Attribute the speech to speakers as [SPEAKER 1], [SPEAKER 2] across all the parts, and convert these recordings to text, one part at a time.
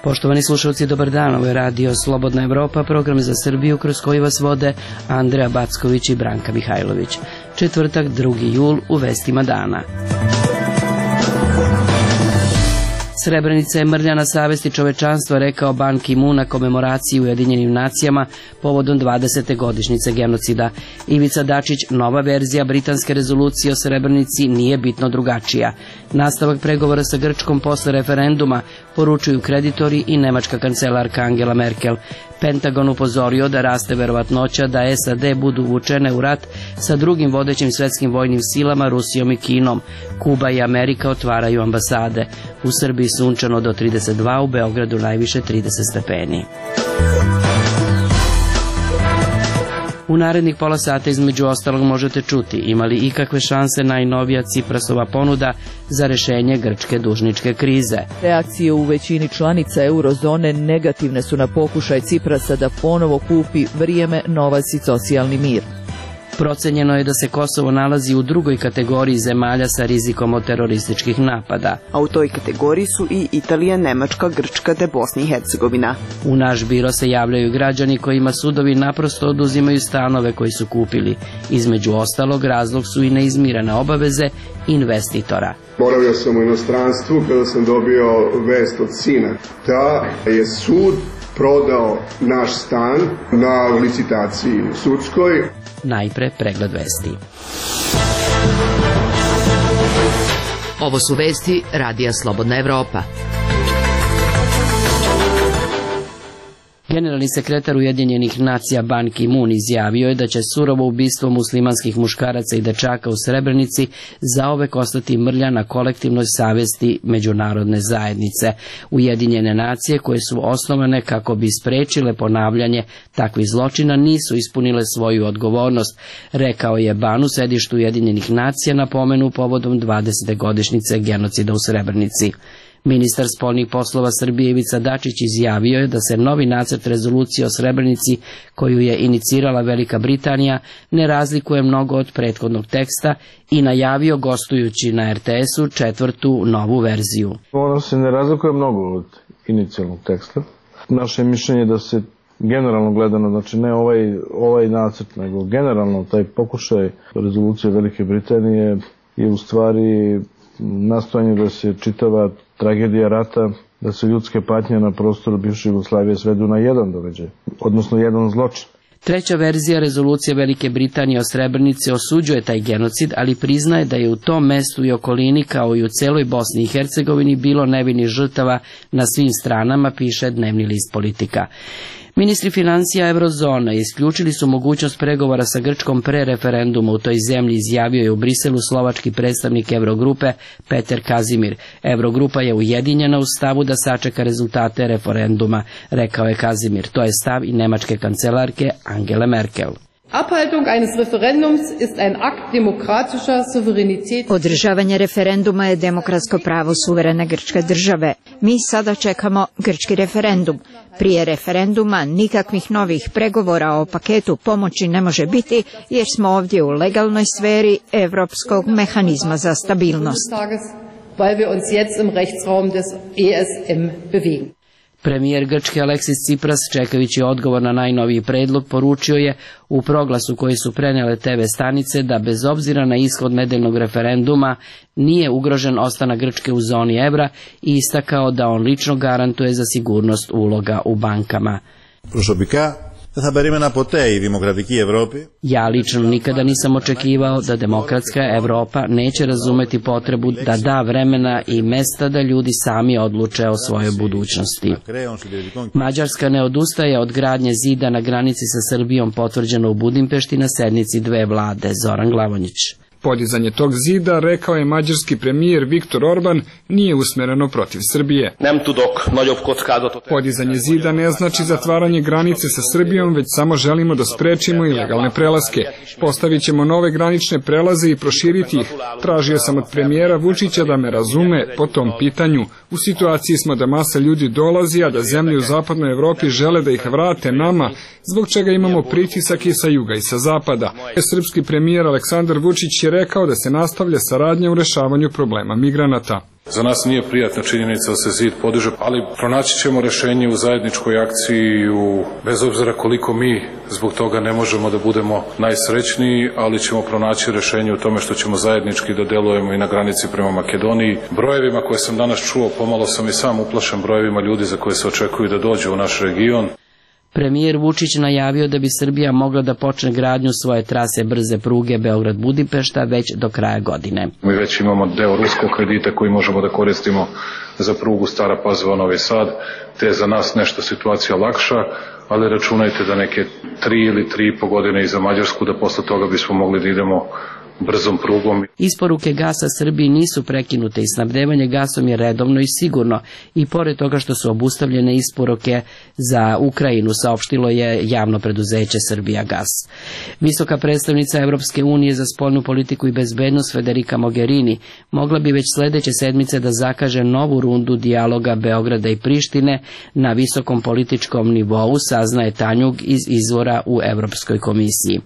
[SPEAKER 1] Poštovani slušalci, dobar dan, ovo je radio Slobodna Evropa, program za Srbiju kroz koji vas vode Andreja Backović i Branka Mihajlović. Četvrtak, 2. jul, u vestima dana. Srebrenica je mrlja na savesti čovečanstva, rekao Ban Ki-moon na komemoraciji u Ujedinjenim nacijama povodom 20. godišnjice genocida. Ivica Dačić, nova verzija britanske rezolucije o Srebrenici nije bitno drugačija. Nastavak pregovora sa Grčkom posle referenduma, poručuju kreditori i nemačka kancelarka Angela Merkel. Pentagon upozorio da raste verovatnoća da SAD budu uvučene u rat sa drugim vodećim svetskim vojnim silama, Rusijom i Kinom. Kuba i Amerika otvaraju ambasade. U Srbiji sunčano do 32, u Beogradu najviše 30 stepeni. U narednih pola sata između ostalog možete čuti ima li ikakve šanse najnovija Ciprasova ponuda za rešenje grčke dužničke krize.
[SPEAKER 2] Reakcije u većini članica eurozone negativne su na pokušaj Ciprasa da ponovo kupi vrijeme, novac i socijalni mir.
[SPEAKER 1] Procenjeno je da se Kosovo nalazi u drugoj kategoriji zemalja sa rizikom od terorističkih napada.
[SPEAKER 3] A u toj kategoriji su i Italija, Nemačka, Grčka te Bosna i Hercegovina.
[SPEAKER 1] U naš biro se javljaju građani kojima sudovi naprosto oduzimaju stanove koji su kupili. Između ostalog, razlog su i neizmirene obaveze investitora.
[SPEAKER 4] Boravio sam u inostranstvu kada sam dobio vest od sina da je sud prodao naš stan na licitaciji sudskoj.
[SPEAKER 1] Najpre pregled vesti.
[SPEAKER 5] Ovo su vesti Radija Slobodna Evropa.
[SPEAKER 1] Generalni sekretar Ujedinjenih nacija Ban Ki-moon izjavio je da će surovo ubistvo muslimanskih muškaraca i dečaka u Srebrenici zaovek ostati mrlja na kolektivnoj savesti međunarodne zajednice. Ujedinjene nacije, koje su osnovane kako bi sprečile ponavljanje takvih zločina, nisu ispunile svoju odgovornost, rekao je Ban u sedištu Ujedinjenih nacija na pomenu povodom 20. godišnjice genocida u Srebrenici. Ministar spoljnih poslova Srbije Ivica Dačić izjavio je da se novi nacrt rezolucije o Srebrenici, koju je inicirala Velika Britanija, ne razlikuje mnogo od prethodnog teksta i najavio gostujući na RTS-u četvrtu novu verziju.
[SPEAKER 6] Ono se ne razlikuje mnogo od inicijalnog teksta. Naše mišljenje je da se generalno gledano, znači ne ovaj nacrt, nego generalno taj pokušaj rezolucije Velike Britanije je u stvari nastojanje da se čitava tragedija rata, da se ljudske patnje na prostoru bivše Jugoslavije svedu na jedan događaj, odnosno jedan zločin.
[SPEAKER 1] Treća verzija rezolucije Velike Britanije o Srebrenici osuđuje taj genocid, ali priznaje da je u tom mestu i okolini, kao i u celoj Bosni i Hercegovini, bilo nevinih žrtava na svim stranama, piše dnevni list Politika. Ministri financija eurozone isključili su mogućnost pregovora sa Grčkom pre referenduma u toj zemlji, izjavio je u Briselu slovački predstavnik Eurogrupe Peter Kazimir. Eurogrupa je ujedinjena u stavu da sačeka rezultate referenduma, rekao je Kazimir. To je stav i nemačke kancelarke Angele Merkel.
[SPEAKER 7] Abhaltung eines Referendums ist ein Akt demokratischer Souveränität.
[SPEAKER 8] Održavanje referenduma je demokratsko pravo suverene grčke države. Mi sada čekamo grčki referendum. Prije referenduma nikakvih novih pregovora o paketu pomoći ne može biti, jer smo ovdje u legalnoj sferi evropskog mehanizma za stabilnost.
[SPEAKER 7] Weil wir uns jetzt im Rechtsraum des ESM bewegen.
[SPEAKER 1] Premijer Grčke Aleksis Tsipras, čekajući odgovor na najnoviji predlog, poručio je u proglasu koji su prenele TV stanice da bez obzira na ishod nedeljnog referenduma nije ugrožen ostanak Grčke u zoni evra i istakao da on lično garantuje za sigurnost uloga u bankama. Ja lično nikada nisam očekivao da demokratska Evropa neće razumeti potrebu da da vremena i mesta da ljudi sami odluče o svojoj budućnosti. Mađarska ne odustaje od gradnje zida na granici sa Srbijom, potvrđeno u Budimpešti na sednici dve vlade. Zoran Glavonjić.
[SPEAKER 9] Podizanje tog zida, rekao je mađarski premijer Viktor Orban, nije usmereno protiv Srbije. Podizanje zida ne znači zatvaranje granice sa Srbijom, već samo želimo da sprečimo ilegalne prelaske. Postavit ćemo nove granične prelaze i proširiti ih. Tražio sam od premijera Vučića da me razume po tom pitanju. U situaciji smo da masa ljudi dolazi, a da zemlje u zapadnoj Evropi žele da ih vrate nama, zbog čega imamo pritisak i sa juga i sa zapada. Srpski premijer Aleksandar Vučić je rekao da se nastavlja saradnja u rešavanju problema migranata.
[SPEAKER 10] Za nas nije prijatna činjenica da se zid podiže, ali pronaći ćemo rešenje u zajedničkoj akciji, bez obzira koliko mi zbog toga ne možemo da budemo najsrećniji, ali ćemo pronaći rešenje u tome što ćemo zajednički da delujemo i na granici prema Makedoniji. Brojevima koje sam danas čuo, pomalo sam i sam uplašen brojevima ljudi za koje se očekuju da dođu u naš region.
[SPEAKER 1] Premijer Vučić najavio da bi Srbija mogla da počne gradnju svoje trase brze pruge Beograd-Budimpešta već do kraja godine.
[SPEAKER 10] Mi već imamo deo ruskog kredita koji možemo da koristimo za prugu Stara Pazova-Novi Sad, te je za nas nešto situacija lakša, ali računajte da neke 3 ili 3,5 godine i za Mađarsku, da posle toga bismo mogli da idemo brzom prugom.
[SPEAKER 1] Isporuke gasa Srbiji nisu prekinute i snabdevanje gasom je redovno i sigurno, i pored toga što su obustavljene isporuke za Ukrajinu, saopštilo je javno preduzeće Srbijagas. Visoka predstavnica Evropske unije za spoljnu politiku i bezbednost Federica Mogherini mogla bi već sledeće sedmice da zakaže novu rundu dijaloga Beograda i Prištine na visokom političkom nivou, saznaje Tanjug iz izvora u Evropskoj komisiji.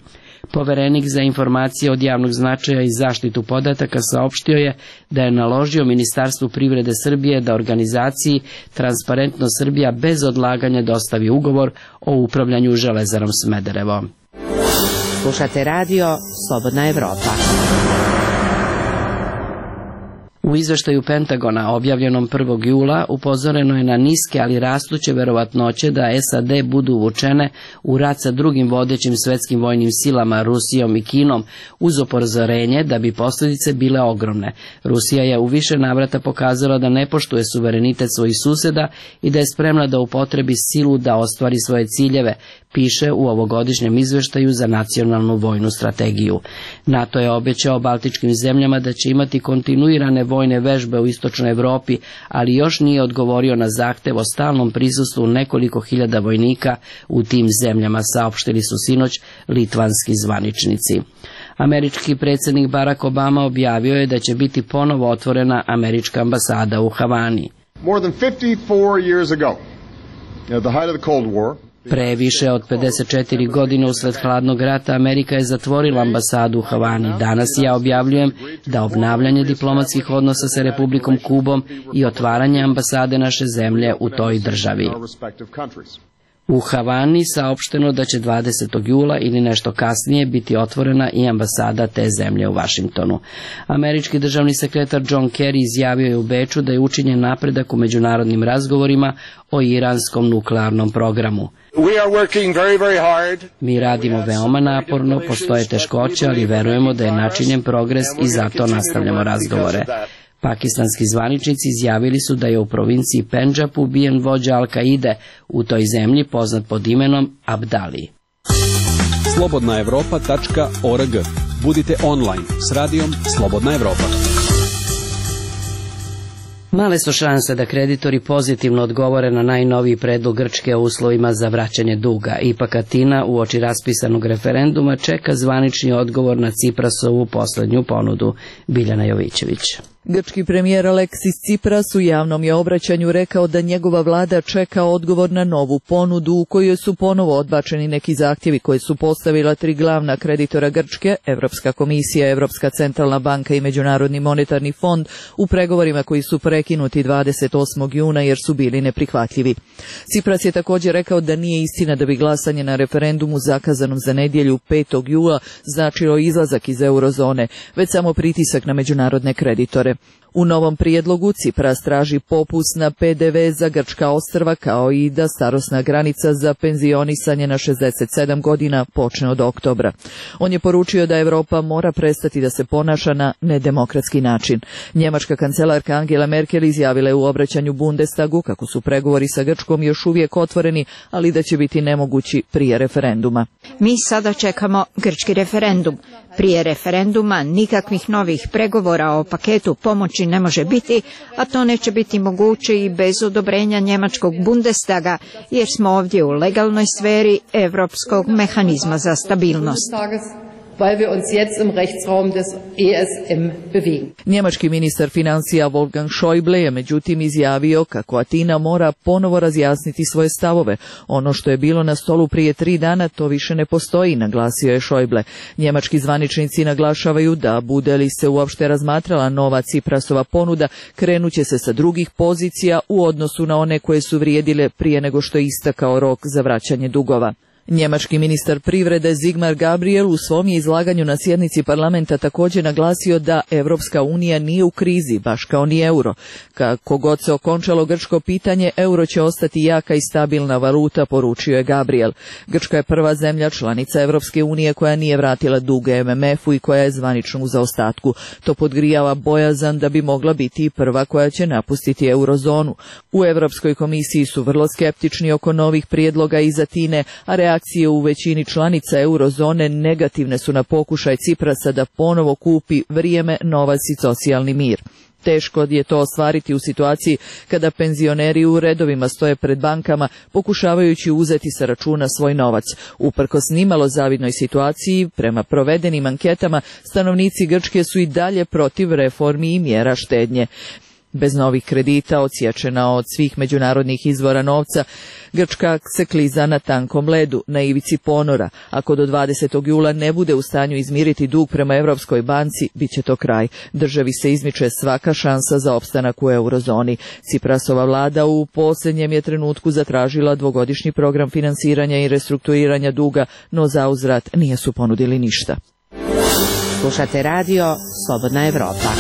[SPEAKER 1] Poverenik za informacije od javnog značaja i zaštitu podataka saopštio je da je naložio Ministarstvu privrede Srbije da organizaciji Transparentno Srbija bez odlaganja dostavi ugovor o upravljanju Železarom Smederevo.
[SPEAKER 5] Slušate radio Slobodna Evropa.
[SPEAKER 1] U izveštaju Pentagona objavljenom 1. jula upozoreno je na niske, ali rastuće verovatnoće da SAD budu uvučene u rat sa drugim vodećim svetskim vojnim silama, Rusijom i Kinom, uz upozorenje da bi posljedice bile ogromne. Rusija je u više navrata pokazala da ne poštuje suverenitet svojih suseda i da je spremna da upotrebi silu da ostvari svoje ciljeve, piše u ovogodišnjem izveštaju za nacionalnu vojnu strategiju. NATO je obećao baltičkim zemljama da će imati kontinuirane vojne vežbe u istočnoj Evropi, ali još nije odgovorio na zahtev o stalnom prisustvu nekoliko hiljada vojnika u tim zemljama, saopštili su sinoć litvanski zvaničnici. Američki predsjednik Barack Obama objavio je da će biti ponovo otvorena američka ambasada u Havani.
[SPEAKER 11] More than 54 years ago, at the height of the Cold War,
[SPEAKER 1] pre više od 54 godine usled hladnog rata Amerika je zatvorila ambasadu u Havani. Danas ja objavljujem da obnavljanje diplomatskih odnosa sa Republikom Kubom i otvaranje ambasade naše zemlje u toj državi. U Havani saopšteno da će 20. jula ili nešto kasnije biti otvorena i ambasada te zemlje u Vašingtonu. Američki državni sekretar John Kerry izjavio je u Beču da je učinjen napredak u međunarodnim razgovorima o iranskom nuklearnom programu. Mi radimo veoma naporno, postoje teškoće, ali verujemo da je načinjen progres i zato nastavljamo razgovore. Pakistanski zvaničnici izjavili su da je u provinciji Pendžab ubijen vođa Al-Kaide u toj zemlji poznat pod imenom Abdali.
[SPEAKER 12] slobodnaevropa.org. Budite online s radijom Slobodna Evropa.
[SPEAKER 1] Male su šanse da kreditori pozitivno odgovore na najnoviji predlog Grčke o uslovima za vraćanje duga. Ipak Atina uoči raspisanog referenduma čeka zvanični odgovor na Ciprasovu posljednju ponudu. Biljana Jovićević.
[SPEAKER 2] Grčki premijer Aleksis Cipras u javnom je obraćanju rekao da njegova vlada čeka odgovor na novu ponudu u kojoj su ponovo odbačeni neki zahtjevi koje su postavila 3 glavna kreditora Grčke, Evropska komisija, Evropska centralna banka i Međunarodni monetarni fond, u pregovorima koji su prekinuti 28. juna jer su bili neprihvatljivi. Cipras je također rekao da nije istina da bi glasanje na referendumu zakazanom za nedjelju 5. jula značilo izlazak iz eurozone, već samo pritisak na međunarodne kreditore. U novom prijedlogu Cipras traži popust na PDV za grčka ostrva kao i da starosna granica za penzionisanje na 67 godina počne od oktobra. On je poručio da Europa mora prestati da se ponaša na nedemokratski način. Njemačka kancelarka Angela Merkel izjavila je u obraćanju Bundestagu kako su pregovori sa Grčkom još uvijek otvoreni, ali da će biti nemogući prije referenduma.
[SPEAKER 8] Mi sada čekamo grčki referendum. Prije referenduma nikakvih novih pregovora o paketu pomoći ne može biti, a to neće biti moguće i bez odobrenja njemačkog Bundestaga, jer smo ovdje u legalnoj sferi Europskog mehanizma za stabilnost.
[SPEAKER 7] weil wir uns jetzt im Rechtsraum des ESM bewegen.
[SPEAKER 2] Njemački ministar financija Wolfgang Schäuble je međutim izjavio kako Atina mora ponovo razjasniti svoje stavove. Ono što je bilo na stolu prije 3 dana to više ne postoji, naglasio je Schäuble. Njemački zvaničnici naglašavaju da bude li se uopšte razmatrala nova Ciprasova ponuda, krenuće se sa drugih pozicija u odnosu na one koje su vrijedile prije nego što je istakao rok za vraćanje dugova. Njemački ministar privrede Sigmar Gabriel u svom je izlaganju na sjednici parlamenta također naglasio da Evropska unija nije u krizi, baš kao ni euro. Kako god se okončalo grčko pitanje, euro će ostati jaka i stabilna valuta, poručio je Gabriel. Grčka je prva zemlja članica Evropske unije koja nije vratila dug MMF-u i koja je zvanično u zaostatku. To podgrijava bojazan da bi mogla biti i prva koja će napustiti eurozonu. U Europskoj komisiji su vrlo skeptični oko novih prijedloga iz Atine, a reakcije u većini članica eurozone negativne su na pokušaj Ciprasa da ponovo kupi vrijeme, novac i socijalni mir. Teško je to ostvariti u situaciji kada penzioneri u redovima stoje pred bankama pokušavajući uzeti sa računa svoj novac. Uprkos nimalo zavidnoj situaciji, prema provedenim anketama, stanovnici Grčke su i dalje protiv reformi i mjera štednje. Bez novih kredita, odsječena od svih međunarodnih izvora novca, Grčka se kliza na tankom ledu, na ivici ponora. Ako do 20. jula ne bude u stanju izmiriti dug prema Europskoj banci, bit će to kraj. Državi se izmiče svaka šansa za opstanak u eurozoni. Ciprasova vlada u posljednjem je trenutku zatražila 2-godišnji program finansiranja i restrukturiranja duga, no zauzvrat nije su ponudili ništa.
[SPEAKER 5] Slušate radio Slobodna Evropa.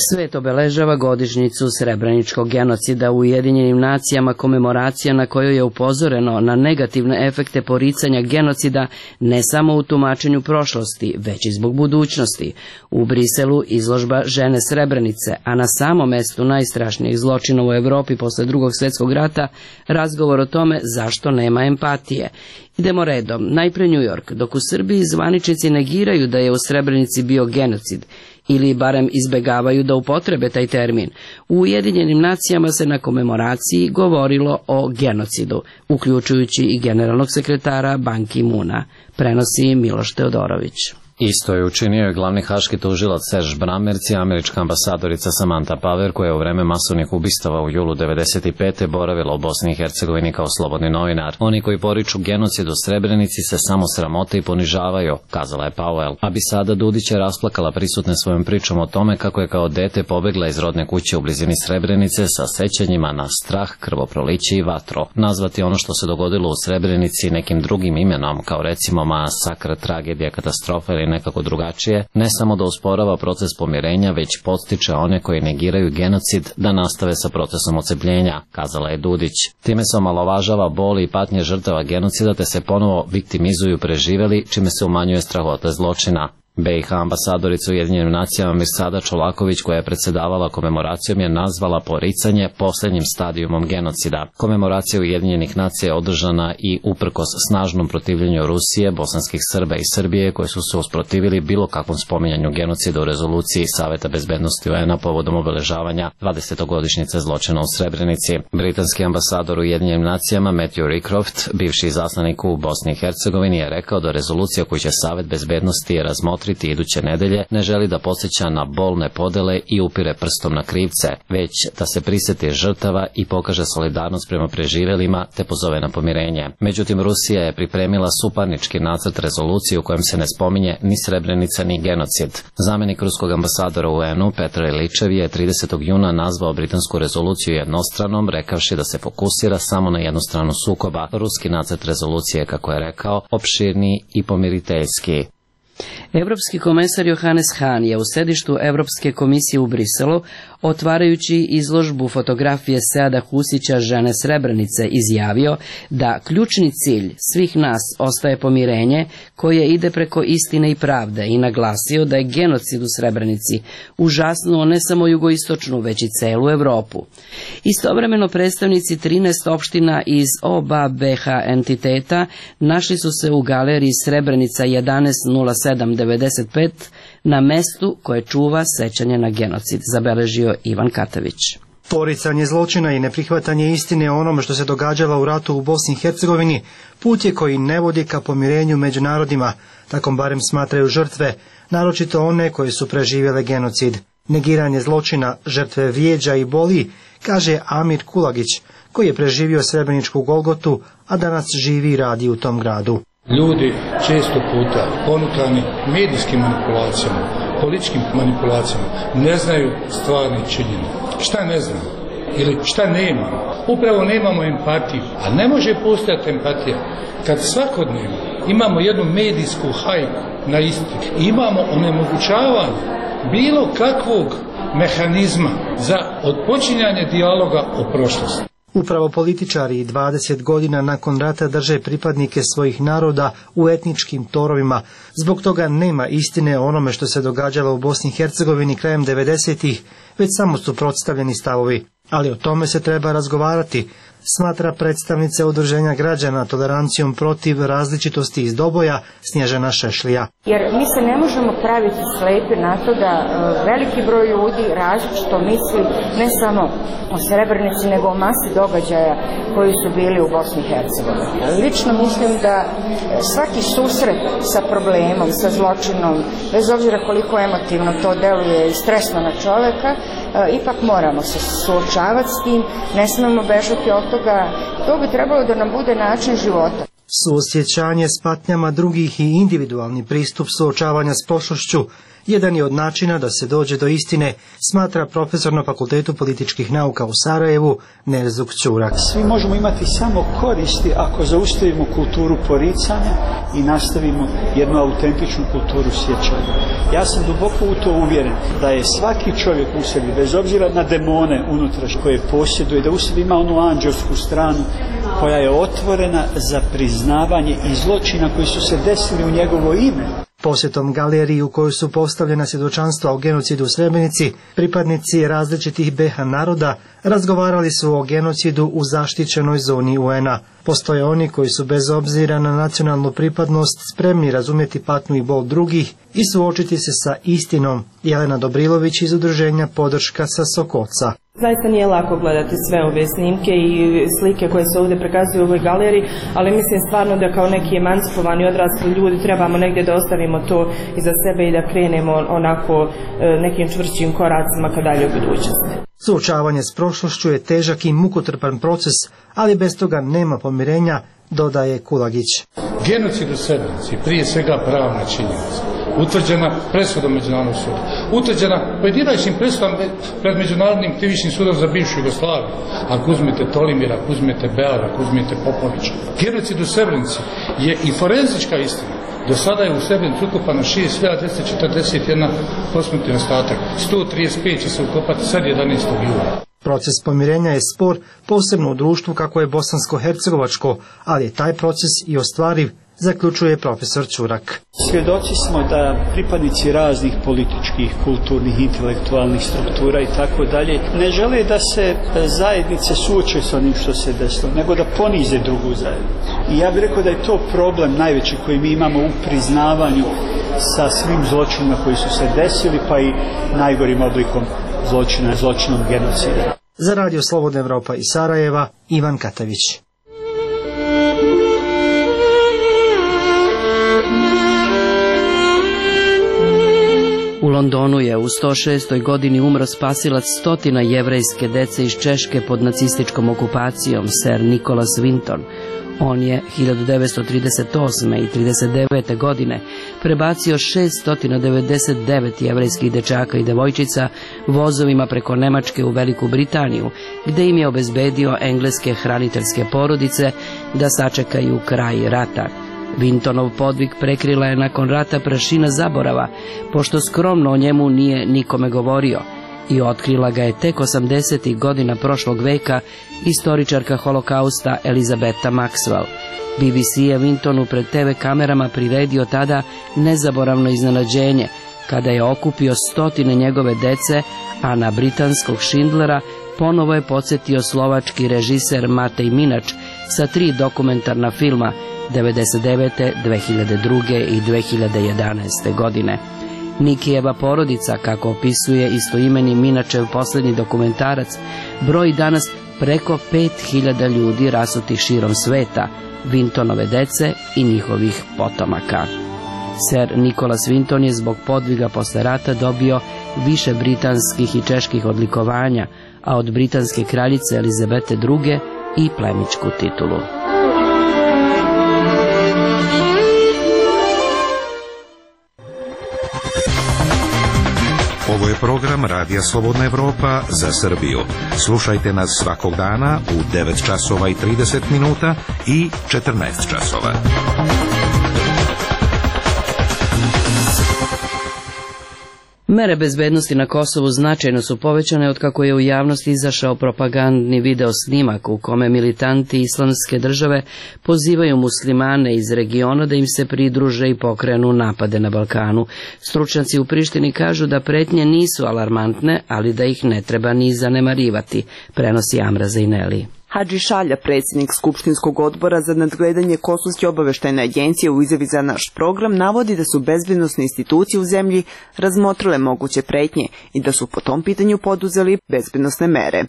[SPEAKER 1] Svet obeležava godišnjicu Srebreničkog genocida u Ujedinjenim nacijama, komemoracija na kojoj je upozoreno na negativne efekte poricanja genocida ne samo u tumačenju prošlosti, već i zbog budućnosti. U Briselu izložba Žene Srebrenice, a na samom mestu najstrašnijeg zločina u Evropi posle Drugog svjetskog rata razgovor o tome zašto nema empatije. Idemo redom, najpre New York, dok u Srbiji zvaničnici negiraju da je u Srebrenici bio genocid, ili barem izbegavaju da upotrebe taj termin. U Ujedinjenim nacijama se na komemoraciji govorilo o genocidu, uključujući i generalnog sekretara Ban Ki-moona, prenosi Miloš Teodorović.
[SPEAKER 13] Isto je učinio i glavni haški tužilac Serge Brammertz i američka ambasadorica Samantha Power, koja je u vreme masovnih ubistava u julu 1995. boravila u Bosni i Hercegovini kao slobodni novinar. Oni koji poriču genocid u Srebrenici se samo sramote i ponižavaju, kazala je Powell. A Bisada Dudić je rasplakala prisutne svojom pričom o tome kako je kao dete pobegla iz rodne kuće u blizini Srebrenice sa sećanjima na strah, krvoproliće i vatro. Nazvati ono što se dogodilo u Srebrenici nekim drugim imenom, kao recimo masakr, tragedija, katastrofa ili nekako drugačije, ne samo da usporava proces pomirenja, već podstiče one koji negiraju genocid da nastave sa procesom ocepljenja, kazala je Dudić. Time se omalovažava bol i patnje žrtava genocida te se ponovo viktimizuju preživeli, čime se umanjuje strahota zločina. BiH ambasadorica u Ujedinjenim nacijama Mirsada Čolaković, koja je predsedavala komemoracijom, je nazvala poricanje posljednjim stadijumom genocida. Komemoracija Ujedinjenih nacija je održana i uprkos snažnom protivljenju Rusije, bosanskih Srba i Srbije, koji su se usprotivili bilo kakvom spominjanju genocida u rezoluciji Saveta bezbednosti UN-a povodom obeležavanja 20-godišnjice zločina u Srebrenici. Britanski ambasador u Ujedinjenim nacijama Matthew Rycroft, bivši izaslanik u Bosni i Hercegovini, je rekao da rezolucija koju će Savet bezbednosti razmotriti iduće nedelje ne želi da podsjeća na bolne podele i upire prstom na krivce, već da se prisjeti žrtava i pokaže solidarnost prema preživjelima te pozove na pomirenje. Međutim, Rusija je pripremila suparnički nacrt rezolucije u kojem se ne spominje ni Srebrenica ni genocid. Zamjenik ruskog ambasadora u UN-u Petro Iličev je 30. juna nazvao britansku rezoluciju jednostranom, rekavši da se fokusira samo na jednu stranu sukoba. Ruski nacrt rezolucije, kako je rekao, opširniji i pomiriteljski.
[SPEAKER 1] Evropski komesar Johannes Hahn je u sedištu Evropske komisije u Briselu, otvarajući izložbu fotografije Seada Husića Žene Srebrenice, izjavio da ključni cilj svih nas ostaje pomirenje koje ide preko istine i pravde i naglasio da je genocid u Srebrenici užasnuo ne samo jugoistočnu, već i celu Evropu. Istovremeno predstavnici 13 opština iz oba BiH entiteta našli su se u galeriji Srebrenica 110795 na mestu koje čuva sećanje na genocid, zabeležio Ivan Katavić.
[SPEAKER 14] Poricanje zločina i neprihvatanje istine o onome što se događalo u ratu u Bosni i Hercegovini put je koji ne vodi ka pomirenju među narodima, tako barem smatraju žrtve, naročito one koje su preživjele genocid. Negiranje zločina žrtve vrijeđa i boli, kaže Amir Kulagić, koji je preživio Srebreničku Golgotu, a danas živi i radi u tom gradu.
[SPEAKER 15] Ljudi često puta ponukani medijskim manipulacijama, političkim manipulacijama, ne znaju stvarne činjenice. Šta ne znamo? Ili šta nemamo? Upravo nemamo empatiju. A ne može postojati empatija kad svakodnevno imamo jednu medijsku hajku na istinu. Imamo onemogućavanje bilo kakvog mehanizma za odpočinjanje dijaloga o prošlosti.
[SPEAKER 14] Upravo političari 20 godina nakon rata drže pripadnike svojih naroda u etničkim torovima. Zbog toga nema istine o onome što se događalo u Bosni i Hercegovini krajem 90-ih, već samo su predstavljeni stavovi. Ali o tome se treba razgovarati, smatra predstavnica Udruženja građana tolerancijom protiv različitosti iz Doboja Snježana Šešlija.
[SPEAKER 16] Jer mi se ne možemo praviti slepi na to da veliki broj ljudi različito misli ne samo o Srebrenici nego o masi događaja koji su bili u Bosni i Hercegovini. Lično mislim da svaki susret sa problemom, sa zločinom, bez obzira koliko emotivno to deluje i stresno na čoveka, ipak moramo se suočavati s tim, ne smemo bežati od toga, to bi trebalo da nam bude način života.
[SPEAKER 14] Suosjećanje s patnjama drugih i individualni pristup suočavanja s prošlošću jedan je od načina da se dođe do istine, smatra profesor na Fakultetu političkih nauka u Sarajevu Nerzuk Ćurak.
[SPEAKER 17] Svi možemo imati samo koristi ako zaustavimo kulturu poricanja i nastavimo jednu autentičnu kulturu sjećanja. Ja sam duboko u to uvjeren da je svaki čovjek u sebi, bez obzira na demone unutrašnje koje posjeduje, da u sebi ima onu anđelsku stranu koja je otvorena za priznavanje i zločina koji su se desili u njegovo ime.
[SPEAKER 14] Posjetom galeriji u kojoj su postavljena svjedočanstva o genocidu u Srebrenici, pripadnici različitih BiH naroda razgovarali su o genocidu u zaštićenoj zoni UN-a. Postoje oni koji su bez obzira na nacionalnu pripadnost spremni razumjeti patnju i bol drugih i suočiti se sa istinom. Jelena Dobrilović iz udruženja Podrška sa Sokoca.
[SPEAKER 18] Zaista nije lako gledati sve ove snimke i slike koje se ovdje prikazuju u ovoj galeriji, ali mislim stvarno da kao neki emancipovani odrasli ljudi trebamo negdje da ostavimo to iza sebe i da krenemo onako nekim čvršćim koracima ka dalje u budućnosti.
[SPEAKER 14] Suočavanje s prošlošću je težak i mukotrpan proces, ali bez toga nema pomirenja, dodaje Kulagić.
[SPEAKER 15] Genocid u Srebrenici prije svega pravna činjenica, utvrđena presudom Međunarodnog suda, utvrđena pojedinačnim presudom pred Međunarodnim krivičnim sudom za bivšu Jugoslaviju. Ako uzmete Tolimira, ako uzmete Beara, ako uzmete Popovića. Genocid u Srebrenici je i forenzička istina. Do sada je u Srebrenici ukopano 6.241 posmrtni ostatak, 135 će se ukopati sad 11. jula.
[SPEAKER 14] Proces pomirenja je spor, posebno u društvu kako je bosansko-hercegovačko, ali je taj proces i ostvariv, zaključuje profesor Ćurak.
[SPEAKER 17] Svjedoci smo da pripadnici raznih političkih, kulturnih, intelektualnih struktura i tako dalje ne žele da se zajednice suoče s onim što se desilo, nego da ponize drugu zajednicu. I ja bih rekao da je to problem najveći koji mi imamo u priznavanju sa svim zločinima koji su se desili, pa i najgorim oblikom zločina, zločinom genocida.
[SPEAKER 14] Za Radio Slobodna Evropa iz Sarajeva, Ivan Katavić.
[SPEAKER 1] U Londonu je u 106. godini umro spasilac stotina jevrejske dece iz Češke pod nacističkom okupacijom, Sir Nicholas Winton. On je 1938. i 1939. godine prebacio 699 jevrejskih dečaka i devojčica vozovima preko Nemačke u Veliku Britaniju, gde im je obezbedio engleske hraniteljske porodice da sačekaju kraj rata. Wintonov podvig prekrila je nakon rata prašina zaborava, pošto skromno o njemu nije nikome govorio, i otkrila ga je tek 80. godina prošlog veka istoričarka holokausta Elizabeta Maxwell. BBC je Wintonu pred TV kamerama priredio tada nezaboravno iznenađenje, kada je okupio stotine njegove dece, a na britanskog Schindlera ponovo je podsjetio slovački režiser Matej Minač sa 3 dokumentarna filma 1999., 2002. i 2011. godine. Nikijeva porodica, kako opisuje istoimeni Minačev posljednji dokumentarac, broji danas preko 5000 ljudi rasutih širom sveta, Vintonove dece i njihovih potomaka. Ser Nikolas Vinton je zbog podviga posle rata dobio više britanskih i čeških odlikovanja, a od britanske kraljice Elizabete II. I plemićku titulu.
[SPEAKER 19] Ovo je program Radija Slobodna Evropa za Srbiju. Slušajte nas svakog dana u 9 časova i 30 minuta i 14 časova.
[SPEAKER 1] Mere bezbednosti na Kosovu značajno su povećane otkako je u javnosti izašao propagandni video snimak u kome militanti Islamske države pozivaju muslimane iz regiona da im se pridruže i pokrenu napade na Balkanu. Stručnjaci u Prištini kažu da pretnje nisu alarmantne, ali da ih ne treba ni zanemarivati, prenosi Amra Zejneli.
[SPEAKER 3] Hadži Šalja, predsjednik Skupštinskog odbora za nadgledanje Kosovske obaveštajne agencije u izjavi za naš program, navodi da su bezbednosne institucije u zemlji razmotrile moguće pretnje i da su po tom pitanju poduzeli bezbednosne mere.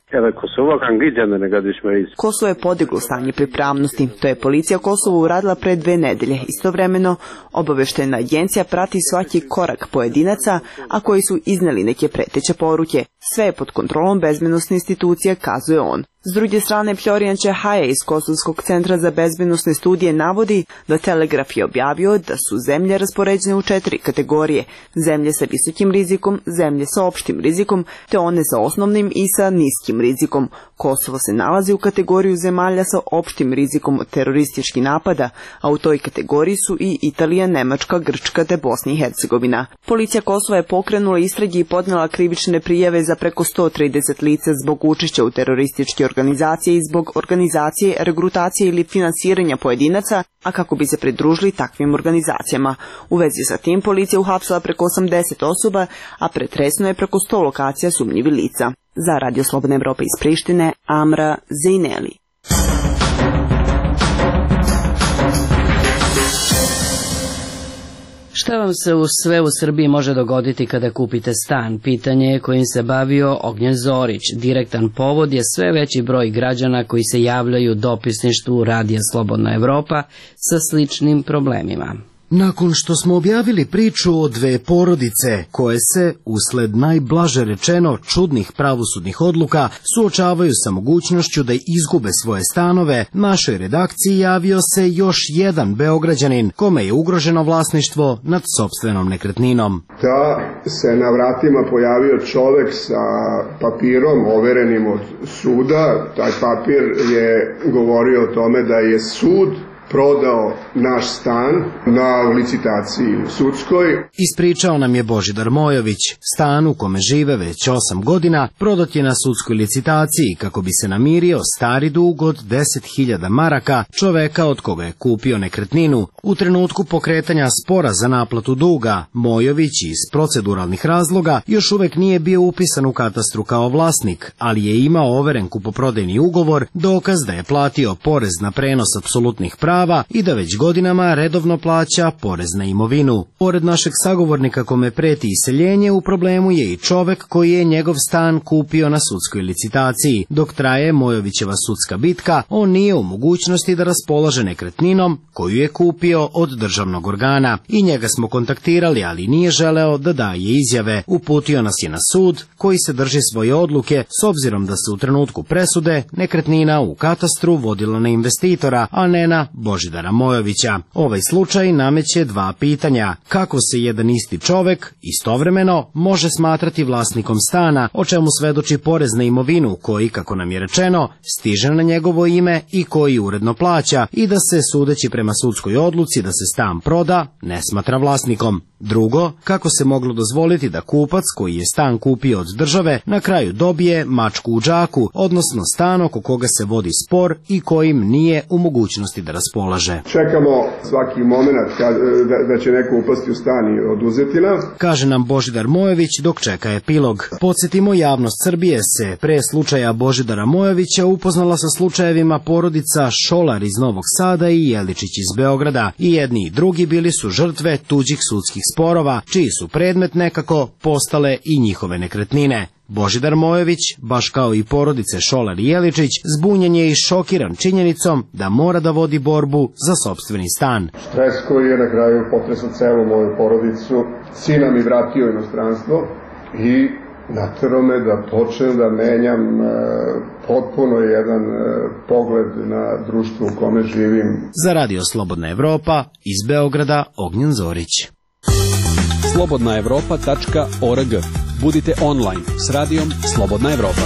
[SPEAKER 3] Kosovo je podiglo stanje pripravnosti. To je policija Kosova uradila pre 2 nedelje. Istovremeno, obaveštajna agencija prati svaki korak pojedinaca, a koji su izneli neke preteće poruke. Sve je pod kontrolom bezbednosne institucije, kazuje on. S druge strane, Florian Čehaja iz Kosovskog centra za bezbednosne studije navodi da Telegraf je objavio da su zemlje raspoređene u 4 kategorije. Zemlje sa visokim rizikom, zemlje sa opštim rizikom, te one sa osnovnim i sa niskim rizikom. Kosovo se nalazi u kategoriju zemalja sa opštim rizikom od terorističkih napada, a u toj kategoriji su i Italija, Nemačka, Grčka te Bosna i Hercegovina. Policija Kosova je pokrenula istrage i podnela krivične prijave za preko 130 lica zbog učešća u terorističke organizacije i zbog organizacije, regrutacije ili finansiranja pojedinaca, a kako bi se pridružili takvim organizacijama. U vezi sa tim policija uhapsila preko 80 osoba, a pretresno je preko 100 lokacija sumnjivih lica. Za Radio Slobodna Evropa iz Prištine, Amra Zejneli.
[SPEAKER 1] Šta vam se sve u Srbiji može dogoditi kada kupite stan? Pitanje je kojim se bavio Ognjen Zorić. Direktan povod je sve veći broj građana koji se javljaju dopisništvu Radija Slobodna Evropa sa sličnim problemima.
[SPEAKER 20] Nakon što smo objavili priču o 2 porodice koje se, usled najblaže rečeno čudnih pravosudnih odluka, suočavaju sa mogućnošću da izgube svoje stanove, našoj redakciji javio se još jedan Beograđanin kome je ugroženo vlasništvo nad sopstvenom nekretninom.
[SPEAKER 4] Da se na vratima pojavio čovek sa papirom overenim od suda. Taj papir je govorio o tome da je sud prodao naš stan na licitaciji sudskoj.
[SPEAKER 20] Ispričao nam je Božidar Mojović. Stan u kome žive već 8 godina prodat je na sudskoj licitaciji kako bi se namirio stari dug od 10.000 maraka čoveka od koga je kupio nekretninu. U trenutku pokretanja spora za naplatu duga, Mojović iz proceduralnih razloga još uvek nije bio upisan u katastru kao vlasnik, ali je imao overen kupoprodajni ugovor, dokaz da je platio porez na prenos apsolutnih prava i da već godinama redovno plaća porez na imovinu. Pored našeg sagovornika kome preti iseljenje, u problemu je i čovek koji je njegov stan kupio na sudskoj licitaciji. Dok traje Mojovićeva sudska bitka, on nije u mogućnosti da raspolaže nekretninom koju je kupio od državnog organa. I njega smo kontaktirali, ali nije želeo da daje izjave. Uputio nas je na sud koji se drži svoje odluke s obzirom da se u trenutku presude nekretnina u katastru vodila na investitora, a ne na Božidara Mojovića. Ovaj slučaj nameće 2 pitanja. Kako se jedan isti čovek istovremeno može smatrati vlasnikom stana, o čemu svedoči porez na imovinu koji, kako nam je rečeno, stiže na njegovo ime i koji uredno plaća, i da se, sudeći prema sudskoj odluci da se stan proda, ne smatra vlasnikom. Drugo, kako se moglo dozvoliti da kupac koji je stan kupio od države na kraju dobije mačku u džaku, odnosno stan oko koga se vodi spor i kojim nije u mogućnosti da raspolaže.
[SPEAKER 4] Čekamo svaki moment da će neko upasti u stan i oduzeti nam,
[SPEAKER 20] kaže nam Božidar Mojović dok čeka epilog. Podsjetimo, javnost Srbije se pre slučaja Božidara Mojovića upoznala sa slučajevima porodica Šolar iz Novog Sada i Jeličić iz Beograda. I jedni i drugi bili su žrtve tuđih sudskih sporova, čiji su predmet nekako postale i njihove nekretnine. Božidar Mojović, baš kao i porodice Šolar i Jeličić, zbunjen je i šokiran činjenicom da mora da vodi borbu za sopstveni stan.
[SPEAKER 4] Stres koji je na kraju potresao celu moju porodicu, sina mi vratio inostranstvo i naterao me da počnem da menjam potpuno jedan pogled na društvo u kome živim.
[SPEAKER 20] Za Radio Slobodna Evropa, iz Beograda, Ognjen Zorić.
[SPEAKER 12] slobodnaevropa.org. Budite online s radijom Slobodna Evropa.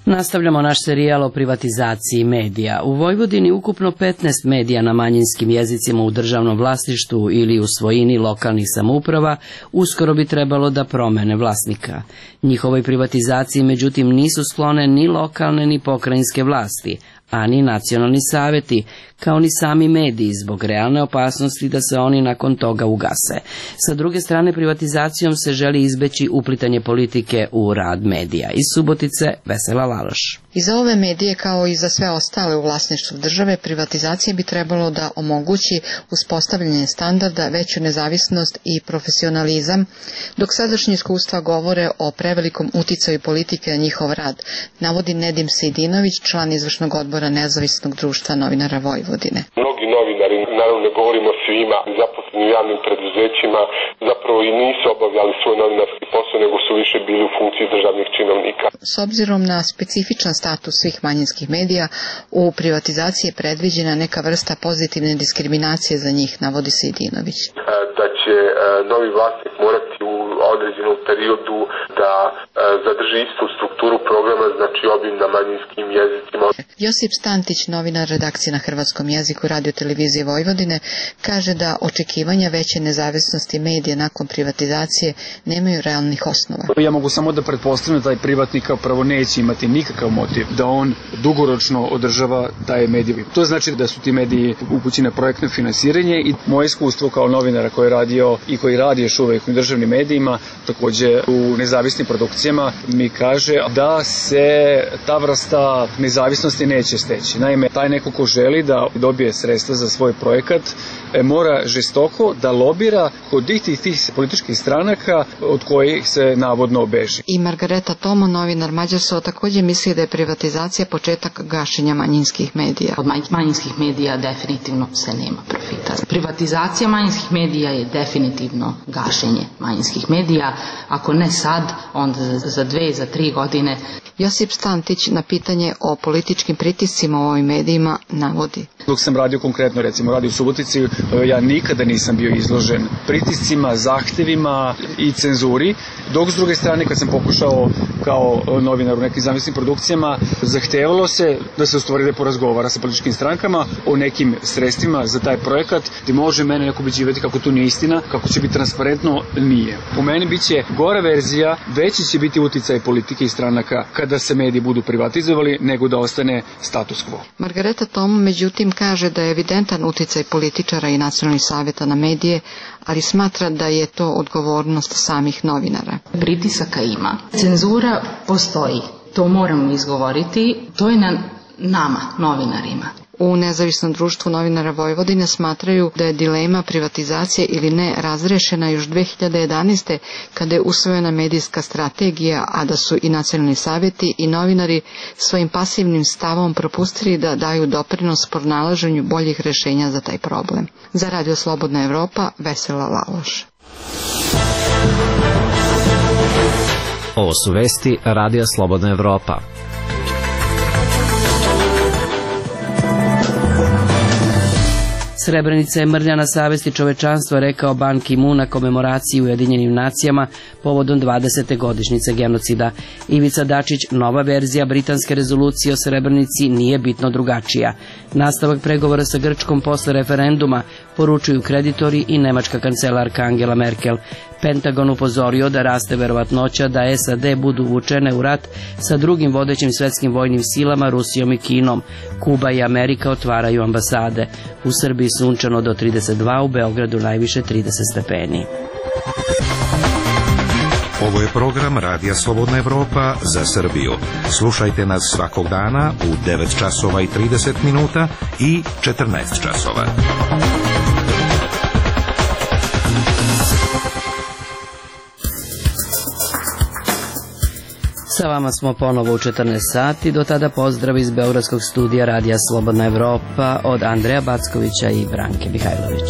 [SPEAKER 1] Nastavljamo naš serijal o privatizaciji medija. U Vojvodini ukupno 15 medija na manjinskim jezicima u državnom vlasništvu ili u svojini lokalnih samouprava uskoro bi trebalo da promene vlasnika. Njihovoj privatizaciji međutim nisu sklone ni lokalne ni pokrajinske vlasti, a ni nacionalni saveti, kao ni sami mediji, zbog realne opasnosti da se oni nakon toga ugase. Sa druge strane, privatizacijom se želi izbeći uplitanje politike u rad medija. Iz Subotice, Vesela Laloš.
[SPEAKER 21] I za ove medije, kao i za sve ostale u vlasništvu države, privatizacija bi trebalo da omogući uspostavljanje standarda, veću nezavisnost i profesionalizam, dok sadašnje iskustva govore o prevelikom uticaju politike na njihov rad, navodi Nedim Sejdinović, član izvršnog odbora Nezavisnog društva novinara Vojvodine.
[SPEAKER 22] Mnogi novinari, naravno ne govorimo svima, zaposleni u javnim preduzećima, zapravo i nisu obavljali svoj novinarski posao, nego su više bili u funkciji državnih činovnika.
[SPEAKER 21] S obzirom na specifičan status svih manjinskih medija, u privatizaciji je predviđena neka vrsta pozitivne diskriminacije za njih, navodi Sejdinović.
[SPEAKER 22] Da će novi vlasnik morati u određenom periodu da zadrži istu strukturu programa, znači obim na manjinskim jezicima.
[SPEAKER 21] Josip Stantić, novinar redakcije na hrvatskom jeziku Radio televizije Vojvodine, kaže da očekivanja veće nezavisnosti medija nakon privatizacije nemaju realnih osnova.
[SPEAKER 23] Ja mogu samo da pretpostavljam da taj privatnik kao prvo neće imati nikakav motiv da on dugoročno održava taj medij. To znači da su ti mediji upućeni na projektno finansiranje i moje iskustvo kao novinara koji je radio i koji radi još uvek u državnim medijima, takođe u nezavisnim produkcijama, mi kaže da se ta vrsta nezavisnosti neće steći. Naime, taj neko ko želi da dobije sredstva za svoj projekat mora žestoko da lobira kod tih političkih stranaka od kojih se navodno obeži.
[SPEAKER 21] I Margareta Tomo, novinar Mađarsko, također misli da je privatizacija početak gašenja manjinskih medija.
[SPEAKER 24] Od manjinskih medija definitivno se nema profita. Privatizacija manjinskih medija je definitivno gašenje manjinskih medija. Ako ne sad, onda za 2, za 3 godine.
[SPEAKER 21] Josip Stantić na pitanje o političkim pritiscima u ovim medijima navodi.
[SPEAKER 23] Dok sam radio konkretno, recimo radio u Subotici, ja nikada nisam bio izložen pritiscima, zahtevima i cenzuri, dok s druge strane kad sam pokušao kao novinar u nekim zamislim produkcijama, zahtevalo se da se u stvari porazgovara sa političkim strankama o nekim sredstvima za taj projekat, gdje može mene neko ubeđivati kako to nije istina, kako će biti transparentno, nije. Po meni biće gora verzija, veći će biti uticaj politike i stranaka kada se mediji budu privatizovali, nego da ostane status quo.
[SPEAKER 21] Margareta Tomo međutim kaže da je evidentan uticaj političara i nacionalnih savjeta na medije, ali smatra da je to odgovornost samih novinara.
[SPEAKER 24] Pritisaka ima. Cenzura postoji. To moramo izgovoriti. To je na nama, novinarima.
[SPEAKER 21] U Nezavisnom društvu novinara Vojvodine smatraju da je dilema privatizacije ili ne razrešena još 2011. kada je usvojena medijska strategija, a da su i nacionalni savjeti i novinari svojim pasivnim stavom propustili da daju doprinos pronalaženju boljih rješenja za taj problem. Za Radio Slobodna Evropa, Vesela Laloš.
[SPEAKER 13] Ovo su vesti Radija Slobodna Evropa.
[SPEAKER 1] Srebrenica je mrlja na savesti čovečanstva, rekao Ban Ki-moon na komemoraciji u Ujedinjenim nacijama povodom 20. godišnjice genocida. Ivica Dačić, nova verzija britanske rezolucije o Srebrenici nije bitno drugačija. Nastavak pregovora sa Grčkom posle referenduma poručuju kreditori i nemačka kancelarka Angela Merkel. Pentagon upozorio da raste verovatnoća da SAD budu uvučene u rat sa drugim vodećim svetskim vojnim silama, Rusijom i Kinom. Kuba i Amerika otvaraju ambasade. U Srbiji sunčano do 32, u Beogradu najviše 30 stepeni.
[SPEAKER 19] Ovo je program Radija Slobodna Evropa za Srbiju. Slušajte nas svakog dana u 9 časova i 30 minuta i 14 časova.
[SPEAKER 1] Sa vama smo ponovo u 14 sati, do tada pozdrav iz Beogradskog studija Radija Slobodna Evropa od Andreja Backovića i Branke Mihajlović.